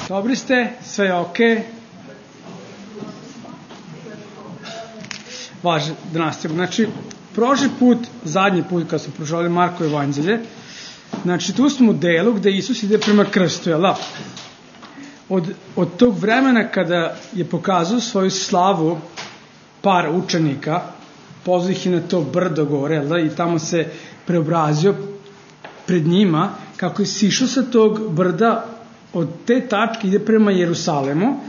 Dobri ste, sve je okej. Važe da nastavimo. Znači, prošli put, zadnji put kad smo proživali Marko evanđelje, znači tu smo u delu gde Isus ide prema krstu, jel da? Od tog vremena kada je pokazao svoju slavu par učenika, pozvao ih i na to brdo gore, jel da? I tamo se preobrazio pred njima, kako je sišao sa tog brda, od te tačke ide prema Jerusalemu,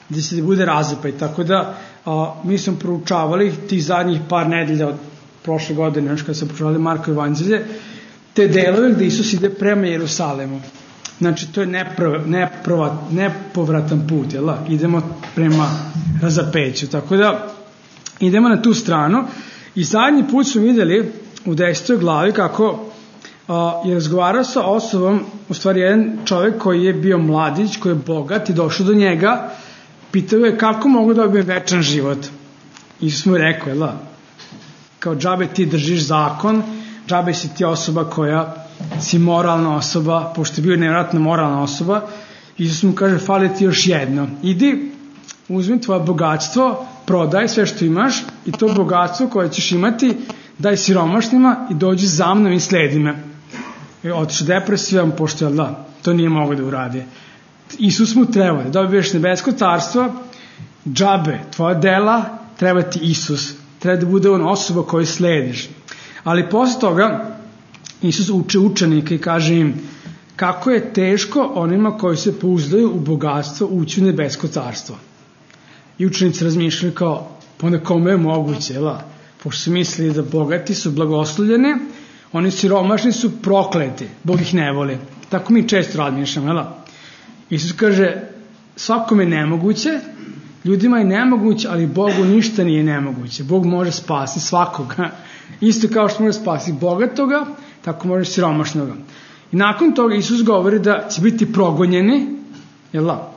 gde se bude razapaj. Tako da mi smo proučavali tih zadnjih par nedelja od prošle godine, kada smo proučavali Marko evanđelje, te delove gde Isus ide prema Jerusalemu. Znači, to je nepovratan put, jel da? Idemo prema razapeću. Tako da, idemo na tu stranu. I zadnji put smo videli u 10. glavi kako je razgovarao sa osobom, u stvari jedan čovjek koji je bio mladić, koji je bogat i došao do njega, pitao je kako mogu da dobijem večan život. Isus mu je rekao, jel da? Kao džabe ti držiš zakon, džabe si ti osoba koja si moralna osoba, pošto je bio nevjerojatno moralna osoba. Isus mu kaže, fali ti još jedno. Idi, uzmi tvoje bogatstvo, prodaj sve što imaš i to bogatstvo koje ćeš imati daj siromašnima i dođi za mnom i sledi me. Otišao depresivan, pošto jel da, to nije mogo da uradi. Isus mu treba da dobiješ nebesko carstvo, džabe, tvoja dela, treba ti Isus. Treba da bude on osoba koju slediš. Ali posle toga Isus uče učenike i kaže im kako je teško onima koji se pouzdaju u bogatstvo ući u nebesko carstvo. I učenici razmišljaju kao, pa onda kome je moguće, jel da? Pošto su mislili da bogati su blagoslovljeni, oni siromašni su prokleti, Bog ih ne voli. Tako mi često razmišljamo, jel da? Isus kaže, svakome je nemoguće, ljudima je nemoguće, ali Bogu ništa nije nemoguće. Bog može spasiti svakoga. Isto kao što može spasiti bogatoga, tako može siromašnoga. I nakon toga Isus govori da će biti progonjeni, jel da?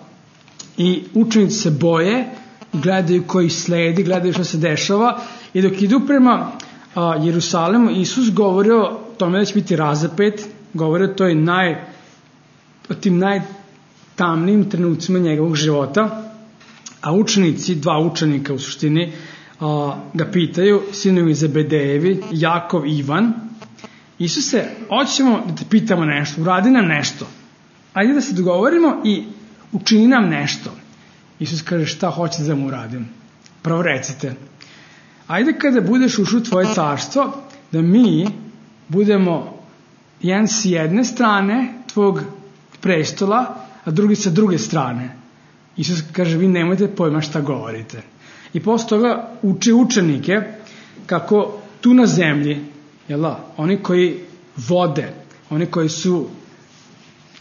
I učenici se boje, gledaju koji sledi, gledaju što se dešava. I dok idu prema Jerusalemu, Isus govori o tome da će biti razapet, govori o tim najtamnijim trenucima njegovog života, a učenici, dva učenika u suštini, ga pitaju, sinovi Zebedejevi, Jakov i Ivan, Isuse, hoćemo da te pitamo nešto, uradi nam nešto, ajde da se dogovorimo i učini nam nešto. Isus kaže, šta hoćete da mu uradim? Prvo recite, ajde kada budeš ušao u tvoje carstvo, da mi budemo jedan s jedne strane tvog prestola, a drugi sa druge strane. Isus kaže, vi nemojte pojma šta govorite. I posle toga uči učenike kako tu na zemlji, jel da, oni koji vode, oni koji su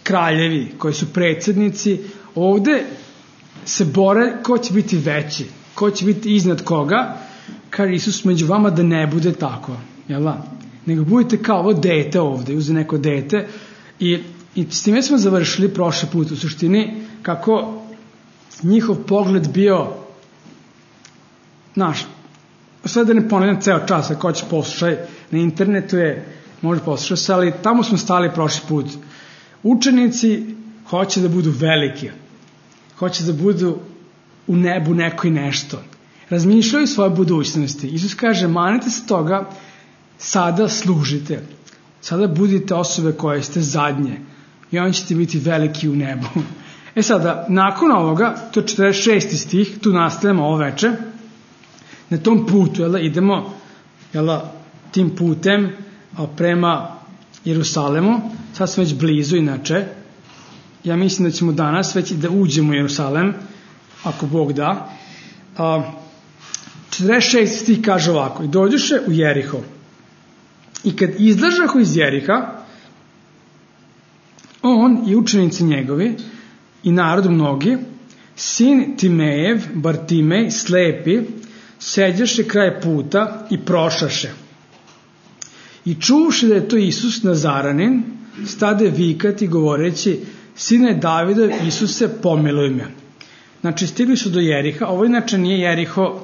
kraljevi, koji su predsjednici, ovde se bore ko će biti veći, ko će biti iznad koga, kaže Isus, među vama da ne bude tako, jel da? Nego budete kao ovo dete ovde, uze neko dete i s time smo završili prošli put u suštini kako njihov pogled bio naš. Sada da ne ponavljam ceo čas, ako će poslušaj, na internetu je, može poslušati se, ali tamo smo stali prošli put. Učenici hoće da budu veliki, hoće da budu u nebu neko i nešto. Razmišljaju svoje budućnosti. Isus kaže, manite se toga, sada služite. Sada budite osobe koje ste zadnje i on ćete biti veliki u nebu. Sada, nakon ovoga, to je 46. stih, tu nastavljamo ovo veče, na tom putu, idemo tim putem prema Jerusalemu, sad smo već blizu inače, ja mislim da ćemo danas već da uđemo u Jerusalem, ako Bog da. 46. stih kaže ovako, i dođoše u Jeriho, i kad izlažahu iz Jeriha, on i učenici njegovi, i narod mnogi, sin Timejev, Bartimej, slepi, seđaše kraj puta i prošaše. I čuvši da je to Isus Nazaranin, stade vikati govoreći, sine Davidov, Isuse, pomiluj me. Znači, stigli su do Jeriha, ovo inače nije Jeriho,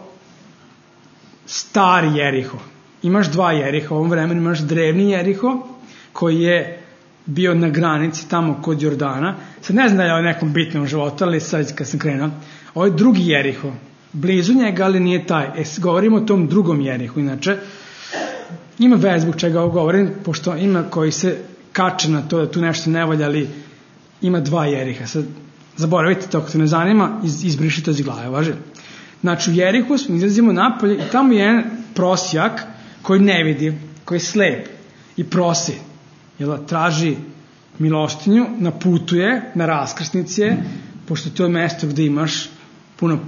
stari Jeriho. Imaš dva Jeriha, u ovom vremenu imaš drevni Jeriho, koji je bio na granici tamo kod Jordana. Sad ne znam da je o nekom bitnom životu, ali sad kad sam krenuo. Ovo je drugi Jeriho. Blizu njega, ali nije taj. Govorimo o tom drugom Jerihu. Inače, ima vez zbog čega ovo govorim, pošto ima koji se kače na to da tu nešto ne valja, ali ima dva Jeriha. Sad, zaboravite to, ako te ne zanima, izbrišite iz glave, važi. Znači, u Jerihu smo izlazimo napolje i tamo je jedan prosjak koji ne vidi, koji je slep i prosi. Traži milostinju, na putu je, na raskrsnici je, pošto to je mesto gde imaš puno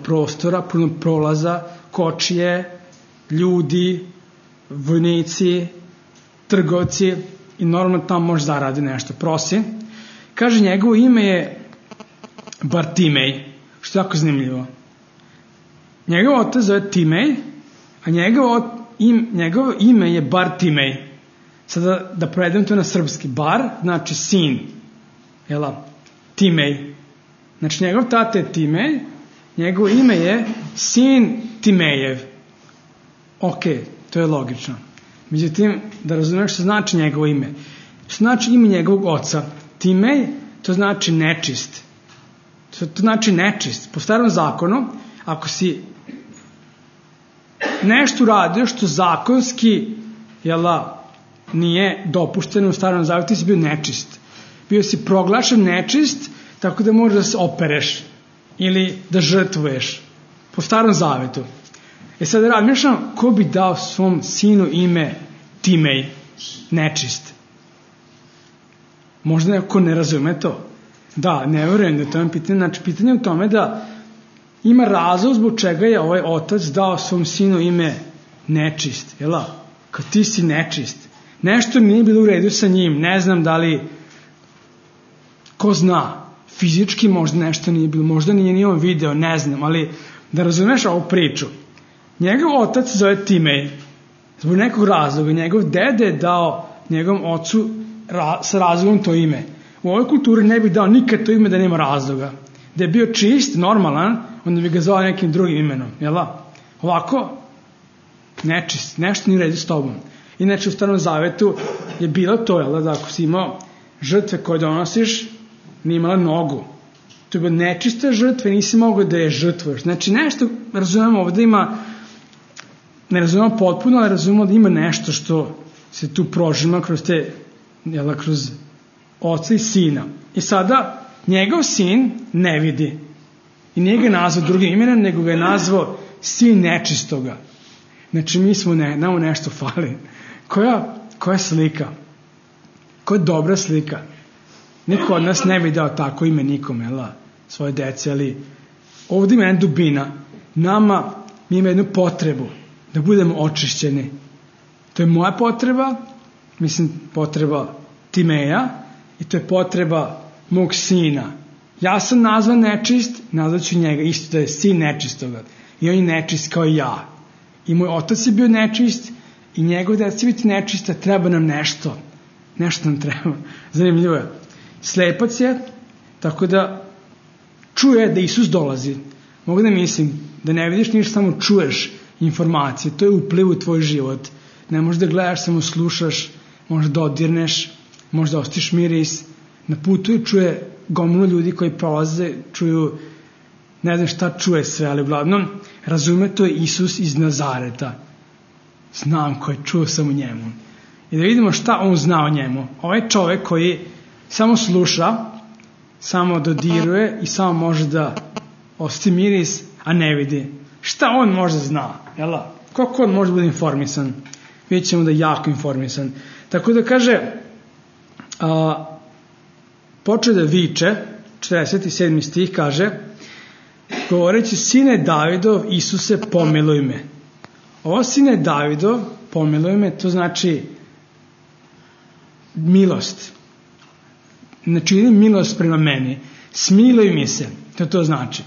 prostora, puno prolaza, kočije, ljudi, vojnici, trgovci i normalno tamo može zaradi nešto. Prosi. Kaže, njegovo ime je Bartimej, što je jako zanimljivo. Njegov otac zove Timej, a njegovo ime je Bartimej. Sada da prevedem to na srpski. Bar znači sin. Timej. Znači njegov tata je Timej, njegovo ime je sin Timejev. Ok, to je logično. Međutim, da razumeš što znači njegovo ime. Što znači ime njegovog oca. Timej, to znači nečist. To znači nečist. Po starom zakonu, ako si nešto uradio što zakonski nije dopušteno u starom zavetu, ti si bio nečist. Bio si proglašen nečist, tako da možeš da se opereš ili da žrtvuješ po starom zavetu. Sad razmišljam, ko bi dao svom sinu ime Timej, nečist? Možda neko ne razume to. Da, ne verujem da je to pitanje. Znači, pitanje je u tome da ima razlog zbog čega je ovaj otac dao svom sinu ime nečist. Kad ti si nečist. Nešto nije bilo u redu sa njim. Ne znam da li, ko zna, fizički možda nešto nije bilo. Možda nije ni on video, ne znam. Ali da razumeš ovu priču. Njegov otac zove Timej. Zbog nekog razloga. Njegov dede je dao njegovom ocu sa razlogom to ime. U ovoj kulturi ne bi dao nikad to ime da nema razloga. Da je bio čist, normalan, onda bi ga zvao nekim drugim imenom. Ovako, nečist, nešto nije u redu s tobom. Inače, u Starom zavetu je bilo to, da ako si imao žrtve koje donosiš, nije imala nogu. To je bilo nečiste žrtve, nisi mogao da je žrtvuješ. Znači, nešto, razumemo ovdje ima, ne razumemo potpuno, ali razumemo da ima nešto što se tu prožima kroz te, kroz oca i sina. I sada, njegov sin ne vidi. I nije ga nazvao drugim imenom, nego ga je nazvao sin nečistoga. Znači, mi smo nama nešto fali. Koja slika? Koja dobra slika? Niko od nas ne bi dao tako ime nikome, svoje dece, ali ovdje ima jedna dubina. Mi ima jednu potrebu da budemo očišćeni. To je moja potreba, potreba Timeja, i to je potreba mog sina. Ja sam nazvan nečist, nazvat ću njega isto da je sin nečistoga. I on je nečist kao i ja. I moj otac je bio nečist i njegov deca će biti nečista, treba nam nešto. Nešto nam treba. Zanimljivo je. Slepac je, tako da čuje da Isus dolazi. Mogu da mislim da ne vidiš ništa, samo čuješ informacije. To je upliv u tvoj život. Ne možeš da gledaš, samo slušaš, možeš da dodirneš, možda ostiš miris. Na putu i čuje gomilu ljudi koji prolaze, čuju, ne znam šta čuje sve, ali uglavnom razume, to je Isus iz Nazareta. Znam ko je, čuo sam o njemu. I da vidimo šta on zna o njemu. Ovaj čovjek koji samo sluša, samo dodiruje i samo može da osjeti miris, a ne vidi. Šta on možda zna? Koliko on može biti informisan? Vidjet ćemo da je jako informisan. Tako da kaže, počeo da viče, 47. stih kaže, govoreći, sine Davidov, Isuse, pomiluj me. Ovo sine Davidov, pomiluj me, to znači milost. Znači, milost prema meni. Smiluj mi se, to znači.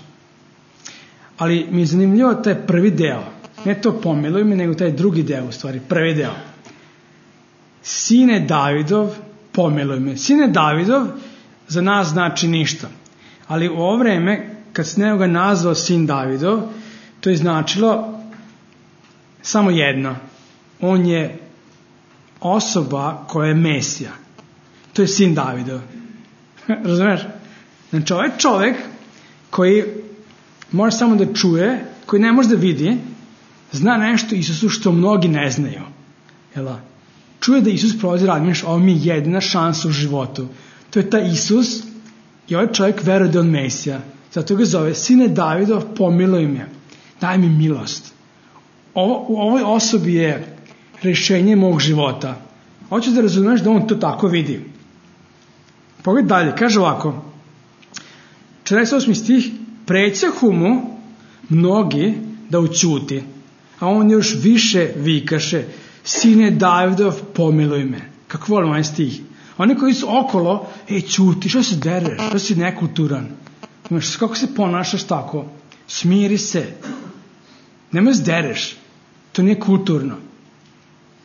Ali mi je zanimljivo taj prvi deo. Ne to pomiluj me, nego taj drugi deo, u stvari, prvi deo. Sine Davidov, pomiluj me. Sine Davidov za nas znači ništa. Ali u ovo vreme, kad se nekoga nazvao sin Davidov, to je značilo samo jedno. On je osoba koja je Mesija. to je sin Davidov. Razumeš? Znači, ovaj čovek koji može samo da čuje, koji ne može da vidi, zna nešto Isusu što mnogi ne znaju. Jel' čuje da Isus prolazi rad, ovo mi je jedina šansa u životu. To je taj Isus i ovaj čovjek veruje da je on Mesija. Zato ga zove, sine Davidov, pomiluj me, daj mi milost. U ovoj osobi je rešenje mog života. Hoćeš da razumeš da on to tako vidi. Pogledaj dalje, kaže ovako, 48. stih, prećahu mu mnogi da ućuti, a on još više vikaše, sine Davidov, pomiluj me. Kako volim ovaj stih. Oni koji su okolo, ćuti, što se dereš, što si nekulturan. Kako se ponašaš tako? Smiri se. Nemoj se dereš. To nije kulturno.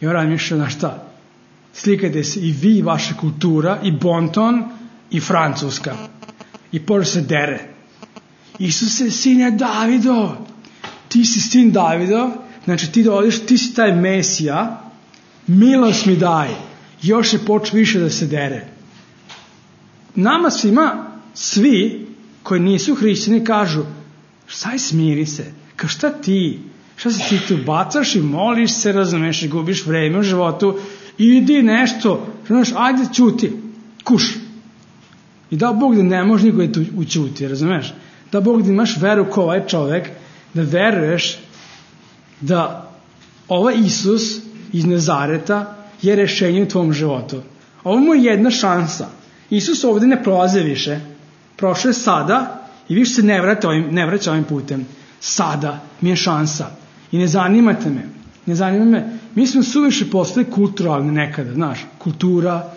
I on razmišlja na šta? Slikajte se i vi, vaša kultura, i bonton, i Francuska. I pođe se dere. Isuse, sine Davidov, ti si sin Davidov, znači ti dolaziš, ti si taj Mesija, milost mi daj. Još je počeo više da se dere. Nama svima, svi koji nisu hrišćani kažu, saj smiri se, kao šta ti se ti bacaš i moliš se, razumeš i gubiš vreme u životu, idi nešto, znaš, ajde ćuti, kuš. I da Bog da ne može niko da učuti, razumeš? Da Bog da imaš veru kao ovaj čovek, da veruješ da ovaj Isus iz Nazareta je rešenje u tvom životu. Ovo mu je jedna šansa. Isus ovde ne prolaze više. Prošao je sada i više se ne vraća ovim putem. Sada mi je šansa. I ne zanimate me. Ne zanima me. Mi smo suviše postali kulturalni nekada, znaš. Kultura,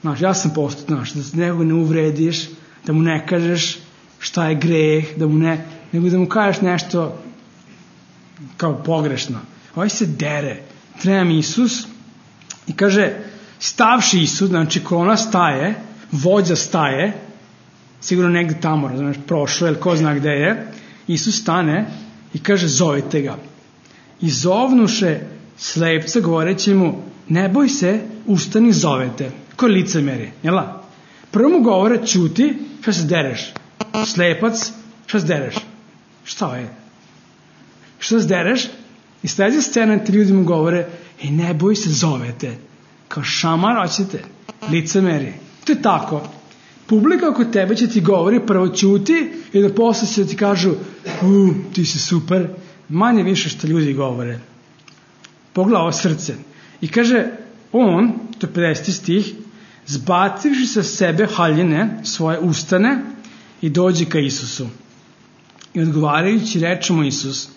znaš, ja sam postao, znaš, da nekoga ne uvrediš, da mu ne kažeš šta je greh, nego da mu kažeš nešto kao pogrešno. Ovaj se dere. Treba mi Isus i kaže, stavši Isus, znači kolona staje, vođa staje, sigurno negde tamo, razumeš, prošlo, ili ko zna gde je, Isus stane i kaže, zovite ga. I zovnuše slepca, govoreći mu, ne boj se, ustani, zovete. Ko je licemeri, jela? Prvo mu govore, ćuti, šta se dereš? Slepac, šta se dereš? Šta je? Šta se dereš? I sledeća scena, ti ljudi mu govore, ne boj se, zovete. Kao šamar, hoćete? Licemeri. To je tako. Publika oko tebe će ti govori, prvo ćuti i da posle će ti kažu, ti si super. Manje više što ljudi govore. Pogledaj ovo srce. I kaže, on, to je 50. stih, zbacivši sa sebe haljine, svoje ustane i dođe ka Isusu. I odgovarajući reče mu Isus,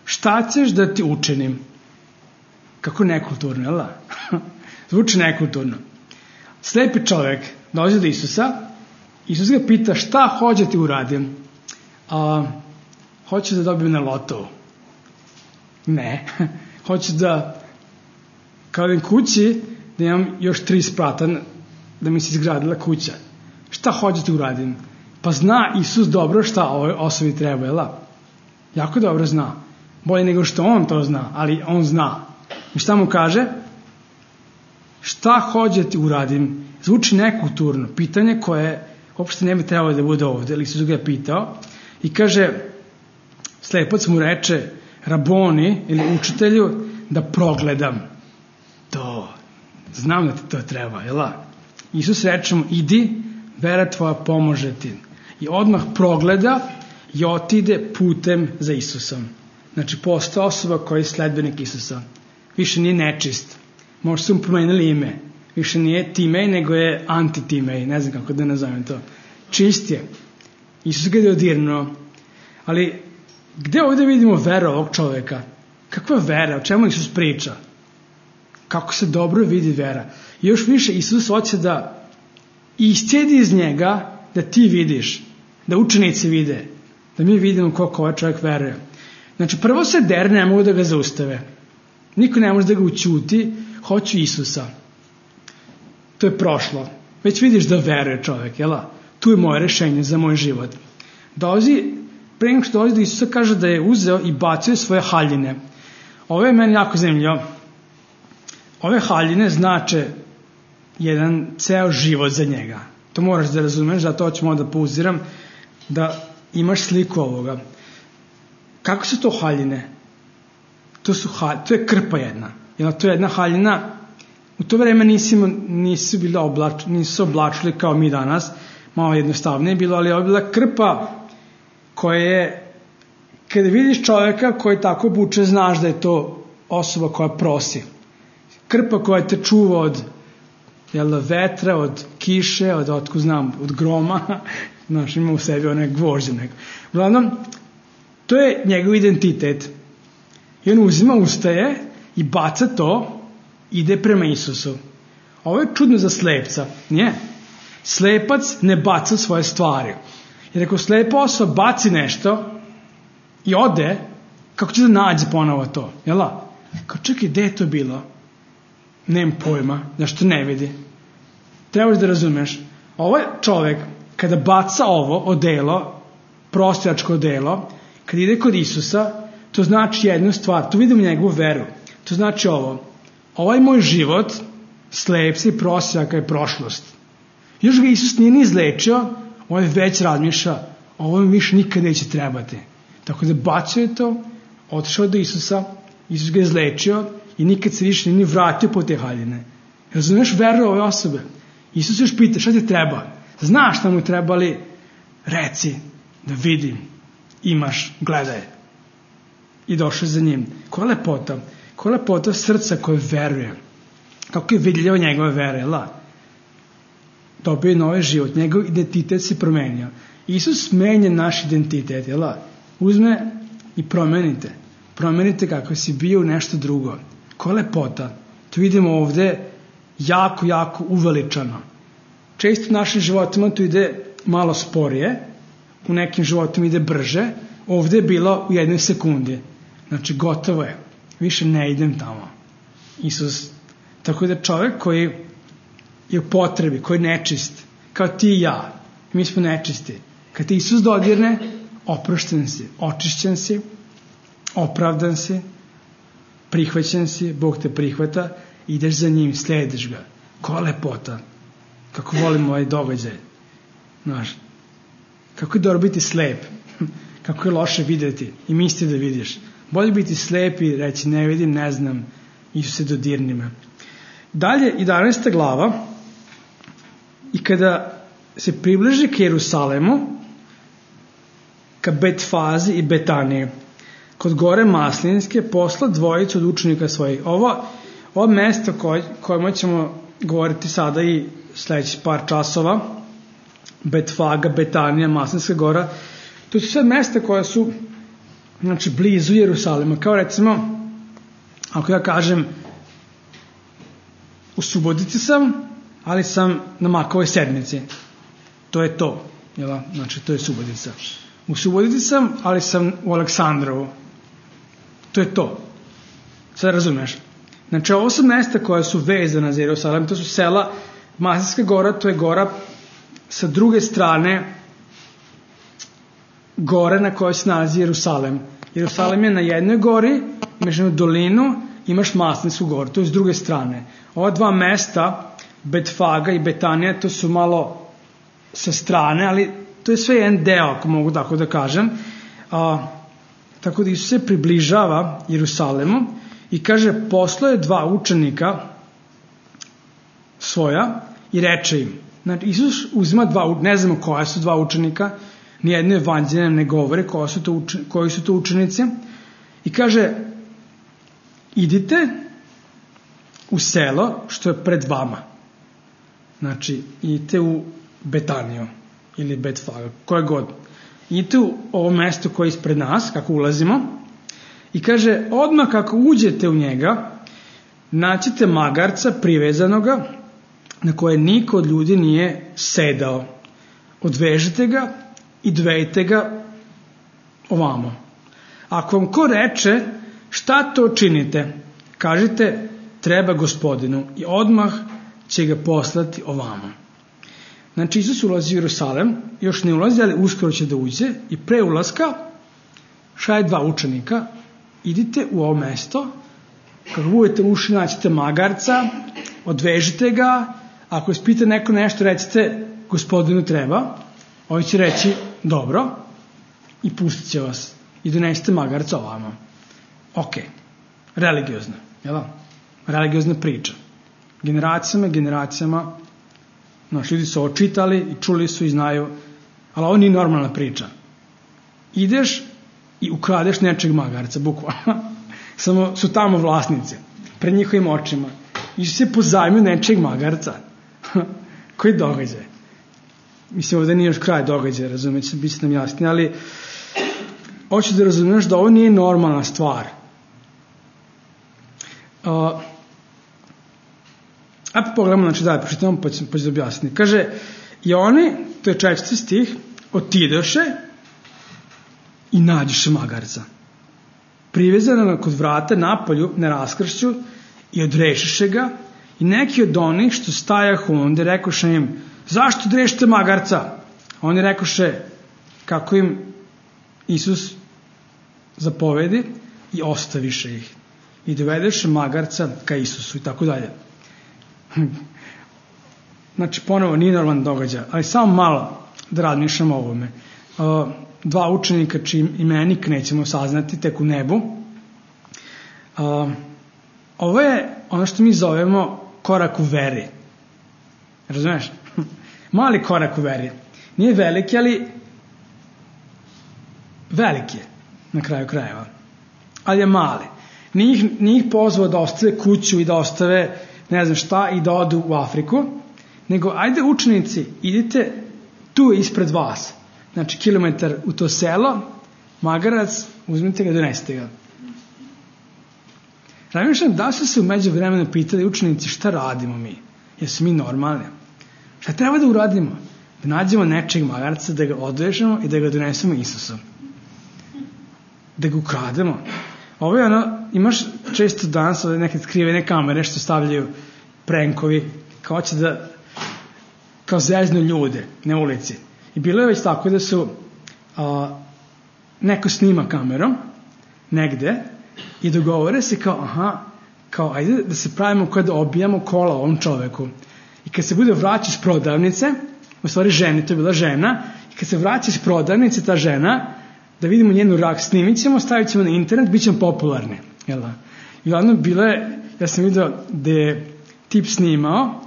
šta ćeš da ti učinim? Kako nekulturno, jel da? Zvuči nekulturno. Slepi čovjek dolazi do Isusa, Isus ga pita šta hoće ti uradim? Hoće da dobijem na lotovu. Ne, hoće da kao idem kući da imam još 3 sprata da mi se izgradila kuća. Šta hoće ti uradim? Pa zna Isus dobro šta ovoj osobi treba, jel da? Jako dobro zna. Bolje nego što on to zna, ali on zna. I šta mu kaže? Šta hoće ti uradim? Zvuči nekulturno. Pitanje koje uopšte ne bi trebalo da bude ovde, ali Isus ga je pitao. I kaže, slepac mu reče, Raboni ili učitelju, da progledam. To, znam da ti to treba, jel da? Isus reče mu, idi, vera tvoja pomože ti. I odmah progleda i otide putem za Isusom. Znači, postoje osoba koja je sledbenik Isusa. Više nije nečist. Možda su mu promenili ime. Više nije Timej, nego je anti-Timej. Ne znam kako da nazovem to. Čist je. Isus ga je dodirnuo. Ali, gde ovdje vidimo veru ovog čoveka? Kakva je vera? O čemu Isus priča? Kako se dobro vidi vera? I još više Isus hoće da iscijedi iz njega da ti vidiš, da učenici vide, da mi vidimo koliko ovaj čovjek veruje. Znači, prvo se der, ne mogu da ga zaustave. Niko ne može da ga ućuti, hoću Isusa. To je prošlo. Već vidiš da veruje čovjek, jel? Tu je moje rešenje za moj život. Pre nego što dolazi do Isusa, kaže da je uzeo i bacio svoje haljine. Ovo je meni jako zanimljivo. Ove haljine znače jedan ceo život za njega. To moraš da razumeš, zato ću da pauziram, da imaš sliku ovoga. Kako su to haljine? To je krpa jedna. To je jedna haljina. U to vreme nisu se oblačili kao mi danas, malo jednostavnije bilo, ali je bila krpa koja je, kada vidiš čovjeka koji tako obuče, znaš da je to osoba koja prosi. Krpa koja te čuva od vetra, od kiše, od groma, znaš, ima u sebi one gvožđe neko. Uglavnom, to je njegov identitet. I on ustaje i baca to, ide prema Isusu. Ovo je čudno za slepca, nije? Slepac ne baca svoje stvari. Jer ako slepa osoba baci nešto i ode, kako će da nađe ponovo to? Jel'a? Kao čekaj, gde je to bilo? Nemam pojma, zašto ne vidi. Trebaš da razumeš. Ovaj čovek, kada baca ovo odelo, prostilačko odelo, kada ide kod Isusa, to znači jednu stvar, to vidimo njegovu veru. To znači ovo. Ovaj moj život, slepca i prosjaka je prošlost. Još ga Isus nije ni izlečio, on već razmišlja, ovo mi više nikad neće trebati. Tako da bacio je to, otišao do Isusa, Isus ga izlečio i nikad se više ni vratio po te haljine. Razumeš veru ove osobe? Isus još pita, šta ti treba? Znaš šta mu trebali? Reci, da vidim, imaš, gledaj. I došao za njim. Koja lepota? Koja lepota srca koje veruje. Kako je vidljivo njegove vere, dobio je novi život, njegov identitet se promenio. Isus menja naš identitet, uzme i promenite kako si bio nešto drugo. Koja lepota? To vidimo ovde jako, jako uveličano. Često u našim životima to ide malo sporije, u nekim životima ide brže, ovde je bilo u jednoj sekundi. Znači gotovo je, više ne idem tamo. Isus, tako da čovjek koji je u potrebi, koji je nečist, kao ti i ja, mi smo nečisti. Kad te Isus dodirne, oprošten si, očišćen si, opravdan si, prihvaćen si, Bog te prihvata, ideš za njim, slediš ga. Koja lepota, kako volim ovaj događaj. Znaš, kako je dobro biti slep, kako je loše videti i misliti da vidiš. Bolje biti slep i reći ne vidim, ne znam, Isuse dodirni me. Dalje, 11. glava, i kada se približi k Jerusalemu, ka Betfazi i Betaniji, kod gore Maslinske, posla dvojicu od učenika svojih. Ovo mesto kojima ćemo govoriti sada i sledeći par časova, Betfaga, Betanija, Maslinska gora, to su sve mesta koja su blizu Jerusalema. Kao recimo, ako ja kažem, u Subotici sam, ali sam na Makovoj sedmici. To je to. Znači, to je Subotica. U Subotici sam, ali sam u Aleksandrovu. To je to. Sad razumeš. Znači, ovo su mesta koja su vezana za Jerusalim. To su sela. Maslinska gora, to je gora sa druge strane gore na kojoj se nalazi Jerusalim. Jerusalim je na jednoj gori, imaš jednu dolinu, imaš Maslinsku goru. To je s druge strane. Ova dva mesta, Betfaga i Betanija, to su malo sa strane, ali to je sve jedan deo, ako mogu tako da kažem. Tako da Isus se približava Jerusalimu i kaže, poslao je dva učenika svoja i reče im. Znači, Isus uzima ne znamo koja su dva učenika, nijedno evanđelje ne govore koji su to učenici, i kaže, idite u selo što je pred vama. Znači, idite u Betaniju ili Betfaga, koje god. Idite u ovo mesto koje je ispred nas, kako ulazimo, i kaže, odmah kako uđete u njega, naćete magarca privezanoga na koje niko od ljudi nije sedao. Odvežite ga i dovejte ga ovamo. Ako vam ko reče, šta to činite? Kažite, treba Gospodinu, i odmah će ga poslati ovamo. Znači, Isus ulazi u Jerusalim, još ne ulazi, ali uskoro će da uđe, i pre ulaska šalje dva učenika, idite u ovo mesto, kako budete ušli, naćete magarca, odvežite ga, Ako ispita neko nešto, recite gospodinu treba, ovi će reći dobro i pustit će vas i donesite magarca ovamo. Ok, religiozno, jel? Religiozna priča. Generacijama, ljudi su očitali i čuli su i znaju, ali ovo nije normalna priča. Ideš i ukradeš nečeg magarca, bukvalno. Samo su tamo vlasnici, pred njihovim očima. Isu se pozajmio nečeg magarca. Koji događaj? Mislim, ovdje nije još kraj događaja, razumijete, bit će nam jasni, ali hoću da razumiješ da ovo nije normalna stvar. Ajde pogledamo, znači dalje, pročitamo pa ću da objasniti. Kaže, i oni, to je 4. stih, otidoše i nađoše magarca. Privezano ga kod vrata napolju na raskršću i odrešiše ga i neki od onih što stajahu onda rekoše im, zašto drešite magarca? A oni rekoše kako im Isus zapovedi i ostaviše ih. I dovedeše magarca ka Isusu i tako dalje. Znači, ponovo nije normalan događaj, ali samo malo da razmišljamo o ovome. 2 učenika čiji imenik nećemo saznati tek u nebu. Ovo je ono što mi zovemo korak u veri. Razumeš? Mali korak u veri. Nije veliki, ali veliki je na kraju krajeva. Ali je mali. Nije ih pozvao da ostave kuću i da ostave ne znam šta i da odu u Afriku, nego ajde učenici, idite tu ispred vas. Znači, kilometar u to selo, magarac, uzmite ga, donesite ga. Razmišljam, da su se u međuvremenu pitali učenici šta radimo mi? Jesu mi normalni? Šta treba da uradimo? Da nađemo nečeg magarca, da ga odvežemo i da ga donesemo Isusu. Da ga ukrademo. Ovo je ono, imaš često danas neke skrivene kamere što stavljaju prankovi, kao će da kao zeznu ljude na ulici. I bilo je već tako da su neko snima kamerom negde i dogovore se kao ajde da se pravimo kao da obijamo kola ovom čoveku. I kad se bude vraćao iz prodavnice, u stvari ženi, to je bila žena, i kad se vraća iz prodavnice ta žena, da vidimo njenu rak, snimit ćemo, stavit ćemo na internet, bit ćemo popularni. Jel da? I glavno bilo je, ja sam vidio da je tip snimao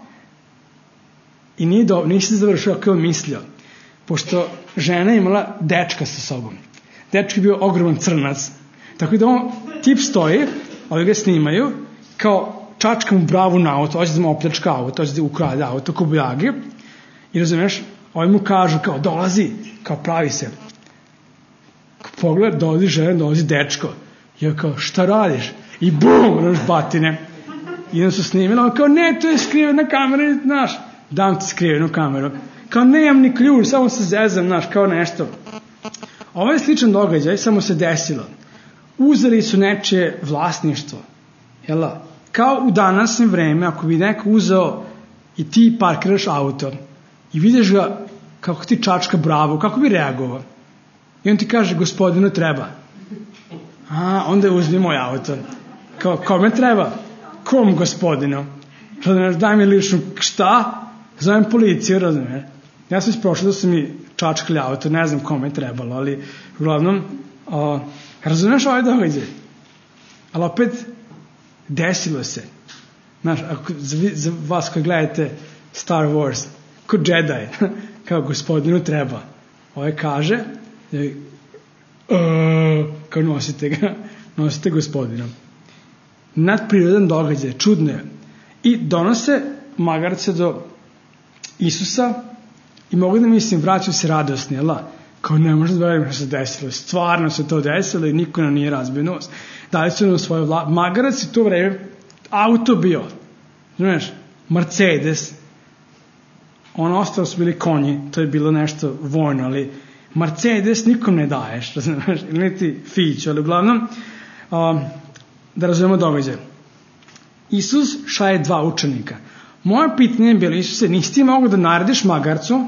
i nije se završio kako je mislio. Pošto žena imala dečka sa sobom. Dečko je bio ogroman crnac. Tako da tip stoji, ovi ga snimaju, kao čačka mu bravu na auto, hoće da mu opljačka auto, hoće da ukrade auto, ko bujagi. I razumiješ, ovi mu kažu kao dolazi, kao pravi se. Pogled, dolazi žena, dolazi dečko. I ja kao, šta radiš? I bum, batine. I onda su snimili, on kao, ne, to je skrivena kamera, znaš, dam ti skrivenu kameru. Kao, nemam ni ključ, samo se zezam, znaš, kao nešto. Ovo je sličan događaj, samo se desilo. Uzeli su nečije vlasništvo. Jela? Kao u današnje vreme, ako bi neko uzeo i ti parkiraš auto i vidiš ga kako ti čačka bravo, kako bi reagovao? I on ti kaže, gospodinu treba. Onda uzmi moj auto. Kao, kome treba? Kom gospodinu? Razumiješ, daj mi ličnu, šta? Zovem policiju, razumiješ? Ja sam isprošao da su mi čačkali auto, ne znam kome je trebalo, ali uglavnom, razumiješ ovaj događaj? Ali opet, desilo se. Znaš, za vas koji gledate Star Wars, ko Jedi, kao gospodinu treba. Ovaj kaže, kao nosite gospodinom. Nadprirodan događaj, čudno je. I donose magarce do Isusa i mogu da mislim, vraćaju se radosni, jel' kao ne može da verujem što se desilo. Stvarno se to desilo i niko nam nije razbio nos. Dali su nam svoje magarac i to vreme auto bio. Znaš, Mercedes. Ono ostalo su bili konji, to je bilo nešto vojno, ali Mercedes nikom ne daješ, znaš, ili niti Fiću, ali uglavnom, da razumemo događaj. Isus šalje 2 učenika. Moje pitanje je bilo, Isuse, nisi ti mogu da narediš magarcu,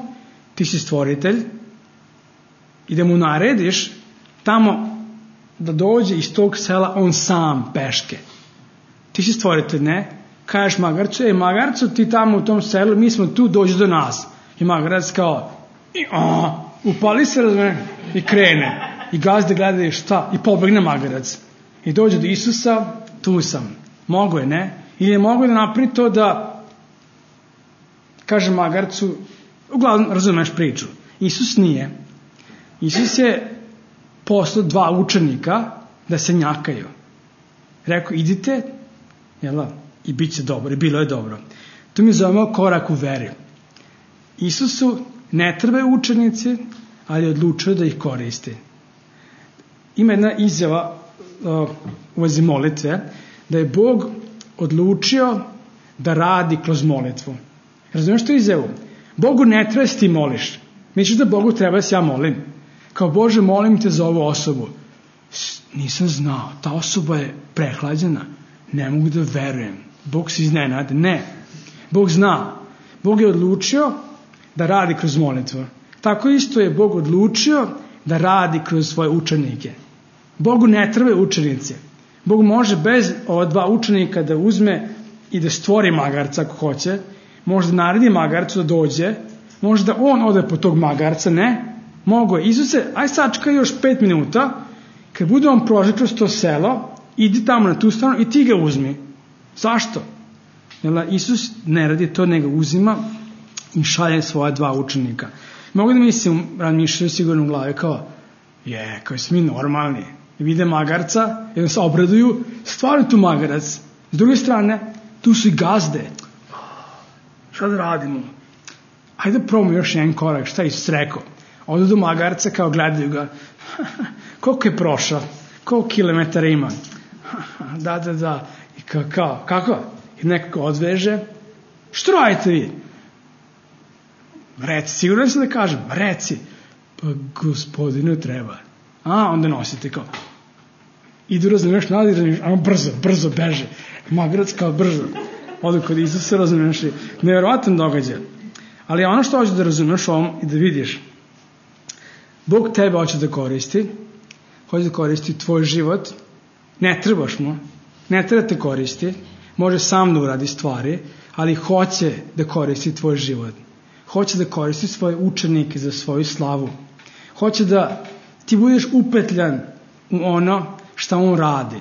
ti si stvoritelj, i da mu narediš tamo da dođe iz tog sela on sam peške. Ti si stvoritelj, ne? kažeš magarcu, magarcu, ti tamo u tom selu, mi smo tu, dođi do nas. I magarac kao, upali se, razumije, i krene. I gazde gledaju šta, i pobegne magarac. I dođe do Isusa, tu sam. Mogo je, ne? Ili je mogo da napravi to da, kaže magarcu, uglavnom razumeš priču. Isus nije. Isus je poslao 2 učenika da se njakaju. Rekao, idite, i bit će dobro, i bilo je dobro. To mi zovemo korak u veri. Isusu ne trebaju učenici, ali je odlučio da ih koristi. Ima jedna izjava u vezi molitve, da je Bog odlučio da radi kroz molitvu. Razumiješ tu izjavu? Bogu ne treba da ti moliš. Misliš da Bogu treba da se ja molim? Kao, Bože, molim te za ovu osobu. Nisam znao, ta osoba je prehlađena. Ne mogu da verujem. Bog se iznenade. Ne. Bog zna. Bog je odlučio da radi kroz molitvu. Tako isto je Bog odlučio da radi kroz svoje učenike. Bogu ne trebaju učenici. Bog može bez ova 2 učenika da uzme i da stvori magarca ako hoće. Može da naredi magarcu da dođe. Može da on ode po tog magarca. Ne. Mogo je. Isuse, aj sačekaj još 5 minuta. Kad bude on prošao kroz to selo, idi tamo na tu stranu i ti ga uzmi. Zašto? Isus ne radi to, nego uzima i šalje svoja 2 učenika. Mogu da mislim, razmišljaju sigurno u glavi kao, kao smo mi normalni. I vide magarca, i se obraduju, stvarno tu magarac. S druge strane, tu su i gazde. Šta da radimo? Hajde da probamo još jedan korak, šta je Isus rekao. Odu do magarca, kao gledaju ga. Koliko je prošao? Koliko kilometara ima? Da. I kako? I nekako odveže. Što radite vi? Reci, sigurno sam da kažem. Reci. Pa gospodinu treba. Onda nosite kao. Idu razumiješ nadiraš, brzo beže. Magarac kao brzo. Odu kod Isusa, razumiješ li. Nevjerovatan događaj. Ali ono što hoćeš da razumiješ ovom i da vidiš. Bog tebe hoće da koristi. Hoće da koristi tvoj život. Ne trebaš mu. Ne treba te koristi. Može sam da uradi stvari. Ali hoće da koristi tvoj život. Hoće da koristi svoje učenike za svoju slavu. Hoće da ti budeš upetljan u ono šta on radi.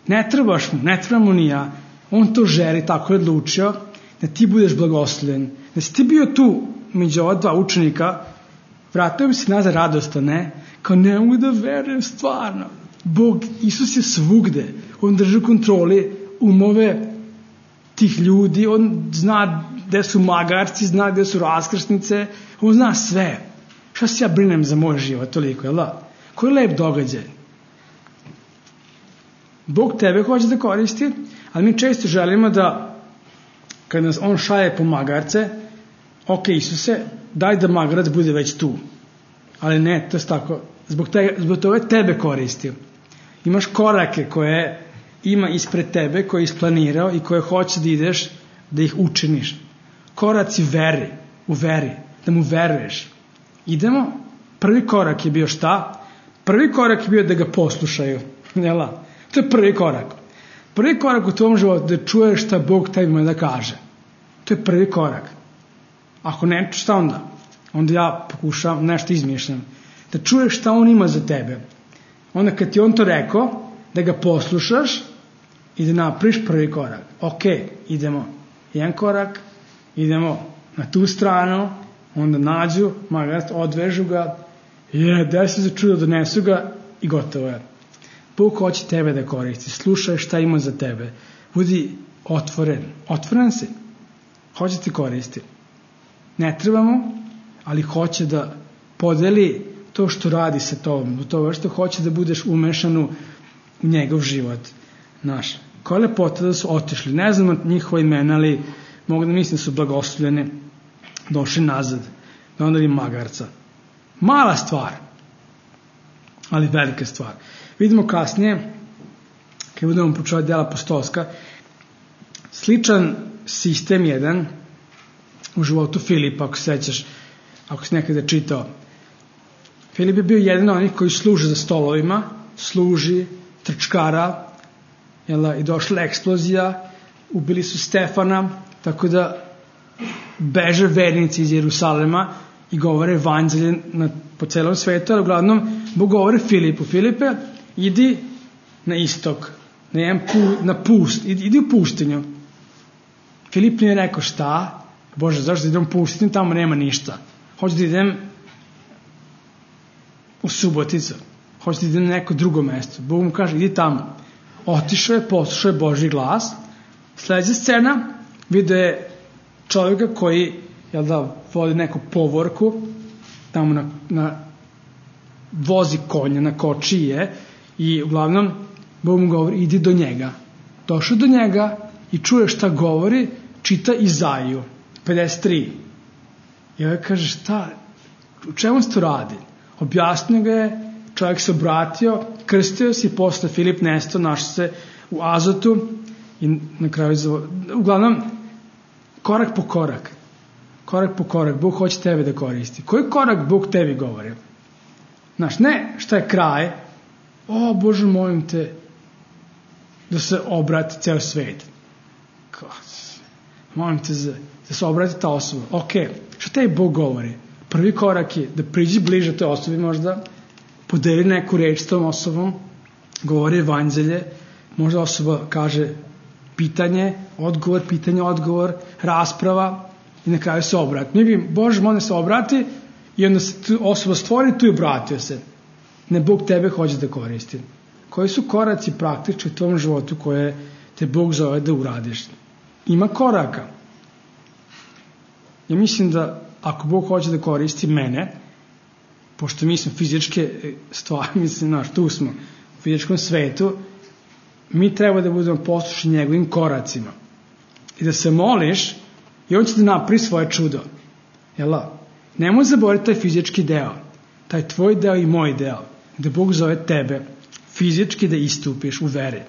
Ne trebaš mu. Ne treba mu ni ja. On to želi, tako je odlučio. Da ti budeš blagoslovljen. Da si ti bio tu među ova 2 učenika. Vratio bi se nazad radosno, ne? Kao ne mogu da verujem stvarno. Bog, Isus je svugde. On drži u kontroli umove tih ljudi. On zna gde su magarci, zna gde su raskrsnice. On zna sve. Šta se ja brinem za moj život toliko, jel da? Koji lep događaj. Bog tebe hoće da koristi, ali mi često želimo da kad nas on šalje po magarce, ok, Isuse, daj da magarac bude već tu. Ali ne, to je tako. Zbog toga tebe koristio. Imaš korake koje ima ispred tebe, koje je isplanirao i koje hoće da ideš, da ih učiniš. Koraci veri, u veri, da mu veruješ. Idemo, prvi korak je bio šta? Prvi korak je bio da ga poslušaju. Jela? To je prvi korak. Prvi korak u tvom životu da čuješ šta Bog tebi ima da kaže. To je prvi korak. Ako ne, šta onda? Onda ja pokušam, nešto izmišljam. Da čuješ šta on ima za tebe. Onda kad ti on to rekao, da ga poslušaš i da napraviš prvi korak. Ok, idemo. Jedan korak, idemo na tu stranu, onda nađu, magarac, odvežu ga, desi za čudo, donesu ga i gotovo je. Bog hoće tebe da koristi. Slušaj šta ima za tebe. Budi otvoren. Otvoren si. Hoće ti koristi. Ne trebamo, ali hoće da podeli to što radi sa tobom. To što hoće da budeš umešan u njegov život. Naš. Koja je lepota da su otišli. Ne znam njihova imena, ali mogu da mislim da su blagoslovljeni. Došli nazad. Da onda ima magarca. Mala stvar. Ali velika stvar. Vidimo kasnije, kad budemo počuvati dela apostolska, sličan sistem jedan u životu Filipa, ako se sećaš, ako si nekada čitao. Filip je bio jedan od onih koji služe za stolovima, služi, trčkara, i došla eksplozija, ubili su Stefana, tako da beže vernici iz Jerusalema i govore evanđelje po celom svetu, ali uglavnom Bog govore Filipe, idi na istok, na pust, idi u pustinju. Filip nije rekao šta, Bože, zašto da idem u pustinju, tamo nema ništa. Hoću da idem u Suboticu, hoću da idem na neko drugo mesto. Bog mu kaže, idi tamo. Otišao je, poslušao je Božji glas. Sledeća scena, vidio je čovjeka koji, vodi neku povorku, tamo vozi konja, na kočiji je, i uglavnom Bog mu govori, idi do njega. Došao do njega i čuje šta govori, čita Izaiju 53. I ovaj kaže, šta, u čemu se to radi? Objasnio ga je, čovjek se obratio, krstio se i posle Filip nestao, našao se u Azotu i na kraju, uglavnom, korak po korak, Bog hoće tebe da koristi. Koji korak Bog tebi govori? Znaš, ne šta je kraj, o Bože, molim te da se obrati ceo svet. Molim te da se obrati ta osoba. Ok, šta tebi Bog govori? Prvi korak je da priđi bliže toj osobi, možda podeli neku reč s tom osobom, govori evanđelje, možda osoba kaže pitanje, odgovor, rasprava i na kraju se obrati. Mi bi, Bože, molim se obrati i onda se osoba stvori tu i obratio se. Ne, Bog tebe hoće da koristi. Koji su koraci praktični u tvom životu koje te Bog zove da uradiš? Ima koraka. Ja mislim da ako Bog hoće da koristi mene, pošto mi smo fizičke stvari, mislim, tu smo u fizičkom svetu, mi treba da budemo poslušni njegovim koracima. I da se moliš i on će da napravi svoje čudo. Nemoj zaboraviti taj fizički deo, taj tvoj deo i moj deo, gde Bog zove tebe fizički da istupiš u veri.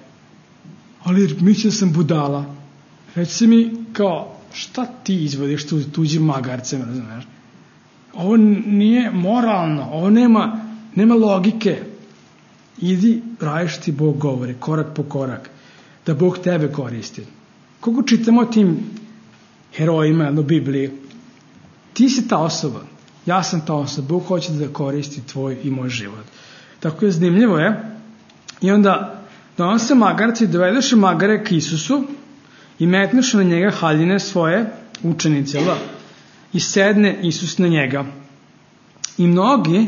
Ali mislim da sam budala. Već se mi kao, šta ti izvodiš tuđim magarcem, razumeš? Ovo nije moralno, ovo nema logike. Idi, radiš ti Bog govori, korak po korak, da Bog tebe koristi. Koliko čitamo o tim herojima u Bibliji, ti si ta osoba, ja sam ta osoba, Bog hoće da koristi tvoj i moj život. Tako je zanimljivo je. I onda donose magarci i dovedeše magare k Isusu i metnuše na njega haljine svoje učenice, i sedne Isus na njega. I mnogi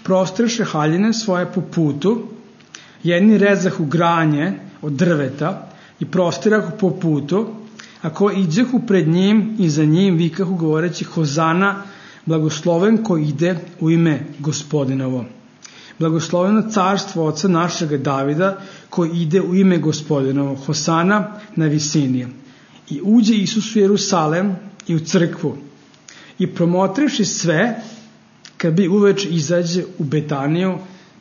prostreše haljine svoje po putu, jedni rezahu granje od drveta i prostirahu po putu, a ko iđehu pred njim i za njim vikahu govoreći Hozana, blagosloven ko ide u ime Gospodinovo. Blagosloveno carstvo oca našega Davida koji ide u ime Gospodinovo. Hosana na visini. I uđe Isus u Jerusalem i u crkvu. I promotrivši sve, kad bi uveče izađe u Betaniju